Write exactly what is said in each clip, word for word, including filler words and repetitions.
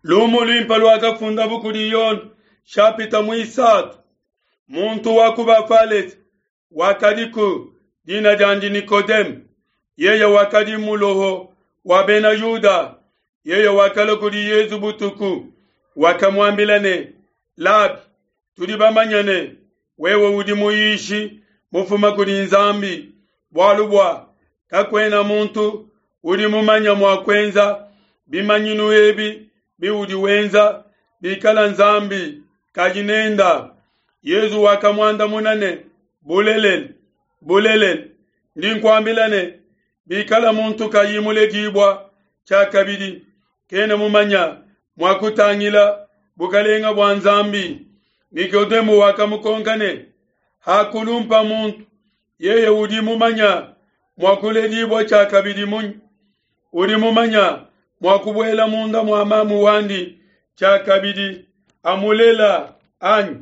Lumu luimpe luakafundabu kudi Yone, shapita muisatu. Muntu wa ku Bafalese wakadiku, dina diandi Nikodeme. Yeye wakadi muloho wa Bena Yuda. Yeye wakalua kudi Yesu butuku, wakamuambila ne, Labi, tudi bamanye ne, wewe udi muyishi mufuma kudi Nzambi, bualu bua kakuena muntu udi mumanye mua kuenza bimanyinu ebi biudi wenza bikala Nzambi kayi nenda. Yesu wakamuandamuna ne, Bulelela, bulelela, ndi nkuambila ne, bikala muntu kayi muledibua tshiakabidi, kena mumanya mua kutangila bukalenga bua Nzambi. Nikodemo wakamukonka ne, Hakulumpa muntu, yeye udi mumanya mua kuledibua tshiakabidi munyi? Udi mumanya mua kubuela munda mua mamu wandi tshiakabidi amulela anyi?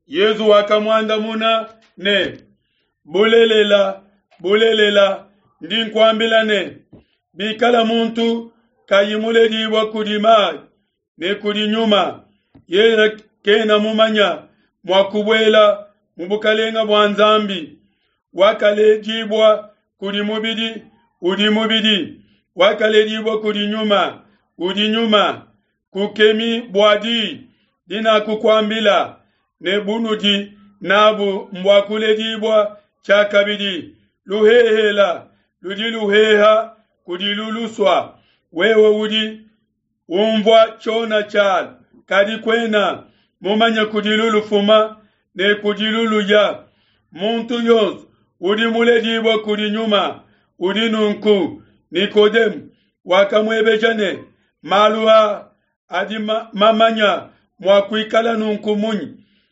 Yesu wakamuandamuna ne, Bulelela, bulelela, ndi nkuambila ne, bikala muntu kayi muledibua kudi mayi ne kudi nyuma, yeye kena mumanya mua kubuela mu bukalenga bua Nzambi. Wakaledibua kudi mubidi udi mubidi, wakaledibua kudi nyuma udi nyuma. Kukemi bua diyi dinakukuambila ne bunudi nabu mbua kuledibua tshiakabidi. Luhehela ludi luheha kudi lulusua, wewe udi umvua tshiona tshialu, kadi kuena mumanye kudi lulufuma ne kudi luluya. Muntu yonso udi muledibua kudi nyuma udi nunku. Nikodemu wakamuebeja ne, malu aa adi mamanya mua kuikala nunku munyi?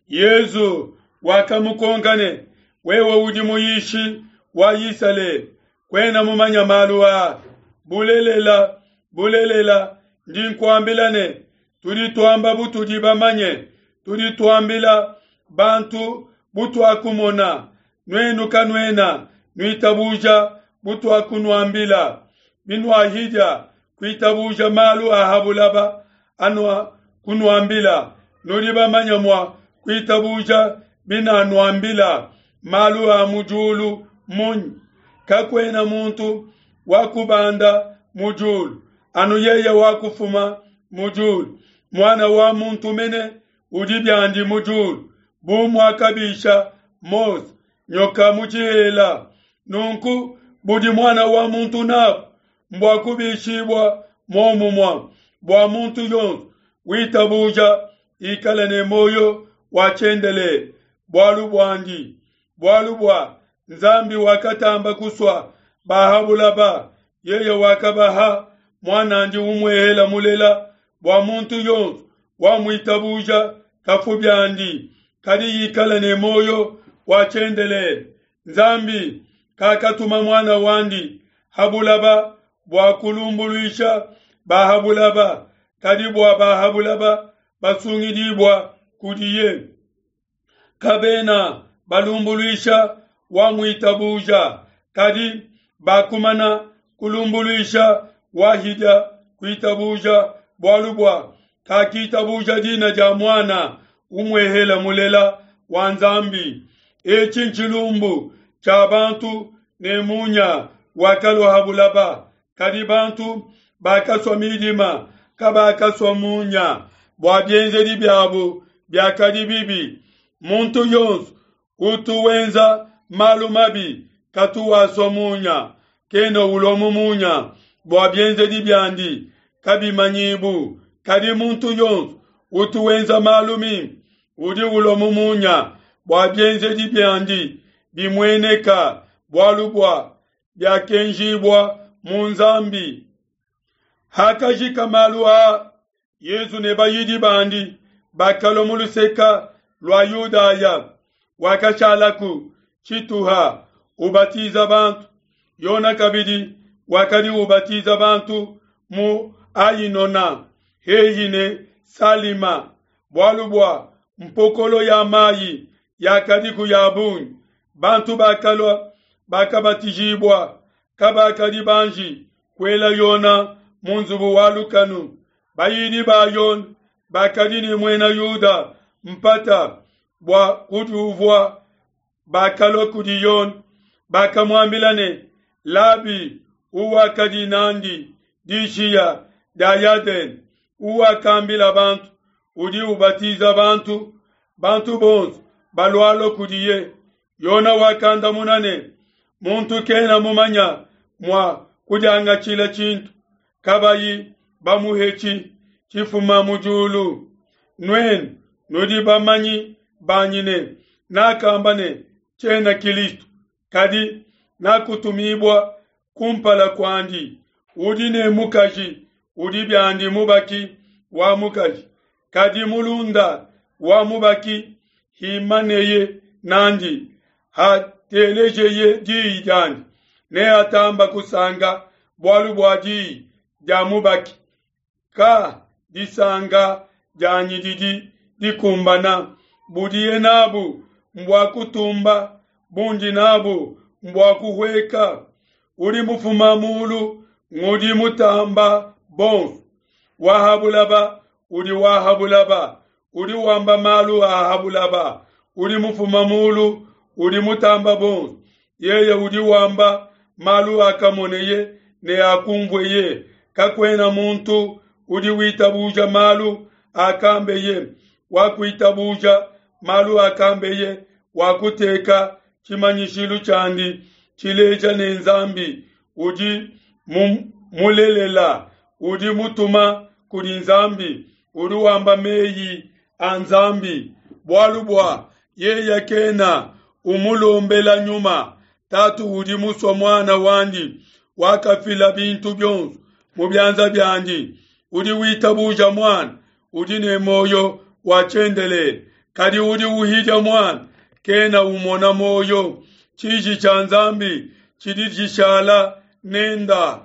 Yesu wakamukonka ne, wewe udi muyishi wa Isalele, kuena mumanya malu aa? Bulelela, bulelela, ndi nkuambila ne, tudi tuamba butudi bamanye, tudi tuambila bantu butuakumona, nuenu kanuena nuitabuja butuakunuambila. Binuahidia kuitabuja malu a ha bulaba anua kunuambila, nudi bamanya mua kuitabuja binanuambila malu a mu diulu munyi? Kakuena muntu wakubanda mu diulu, anu yeye wakufuma mu diulu, Muana wa muntu mene udi biandi mu diulu. Bu muakabisha Mose nyoka mu tshihela, nunku budi Muana wa muntu nabu mbua kubishibua muomumue, bua muntu yonso witabuja ikale ne muoyo wa tshiendelele bualu buandi. Bualu bua Nzambi wakatamba kusua ba ha bulaba, yeye wakabaha muanandi umuehela mulela, bua muntu yonso wamuitabuja kafu biandi, kadi ikale ne muoyo wa tshiendelele. Nzambi kakatuma muana wandi ha bulaba bua kulumbuluisha ba ha bulaba, kadi bua ba ha bulaba basungidibua kudiye. Kabena balumbuluisha wamuitabuja, kadi bakumana kulumbuluisha wahidia kuitabuja, bualu bua kakitabuja dina dia muana umuehela mulela wa Nzambi. Etshi ntshilumbu tshia bantu ne munya wakalua ha bulaba, kadi bantu bakasua midima, kabakasua munya, bua bienzedi biabu biakadi bibi. Muntu yonso utu wenza malu mabi katu wasua munya, kena ulua mu munya, bua bienzedi biandi kabimanyibu. Kadi muntu yonso utu wenza malu mimpe udi ulua mu munya, bua bienzedi biandi bimueneka, bualu bua biakenjibua mu Nzambi. Hakajika malu aa, Yesu ne bayidi bandi bakalua mu luseka lua Yudaya, wakashalaku tshituha ubatiza bantu. Yona kabidi wakadi ubatiza bantu mu Ainona hehi ne Salima, bualu bua mpokolo ya mayi yakadiku ya bungi. Bantu bakalua bakabatijibua, kabakadi banji kuela Yona mu nzubu wa lukanu. Bayidi ba Yone bakadi ne muena Yuda mpata bua kudiuvua bakalua kudi Yone, bakamuambila ne, Labi, uwakadi nandi dishiya dia Yadene, uwakambila bantu, udi ubatiza bantu, bantu bonso balualua kudiye. Yone wakandamuna ne, muntu kena mumanya mua kudiangatshila tshintu kabayi bamuhetshi tshifuma mu diulu. Nuenu nudi bamanyi banyi ne nakamba ne tshiena Kilisto, kadi nakutumibua kumpala kuandi. Udi ne mukaji udi biandi mubaki wa mukaji, kadi mulunda wa mubaki himaneye nandi, hatelejeye diyi diandi, neatamba kusanka bualu bua diyi dia mubaki. Ka disanka dianyi didi dikumbana, budiye nabu mbua kutumba, bundi nabu mbua kuhueka. Udi mufuma mulu ngudi mutamba bonso, wa ha bulaba udi wa ha bulaba, udi wamba malu a ha bulaba. Udi mufuma mulu udi mutamba bonso, yeye udi wamba malu akamoneye ne akumvueye. Kakuena muntu udi witabuja malu akambeye, wakuitabuja malu akambeye wakuteka tshimanyishilu tshiandi tshileja ne Nzambi udi mulelela, udi mutuma kudi Nzambi, udi wamba meyi a Nzambi. Bualu bua yeye kena umulombela nyuma, Tatu udi musua muana wandi, wakafila bintu bionso mu bianza biandi. Udi witabuja muana udi ne muoyo wa tshiendelele, kadi udi uhidia muana kena umona muoyo. Tshiji tshia Nzambi tshidi tshishala nenda.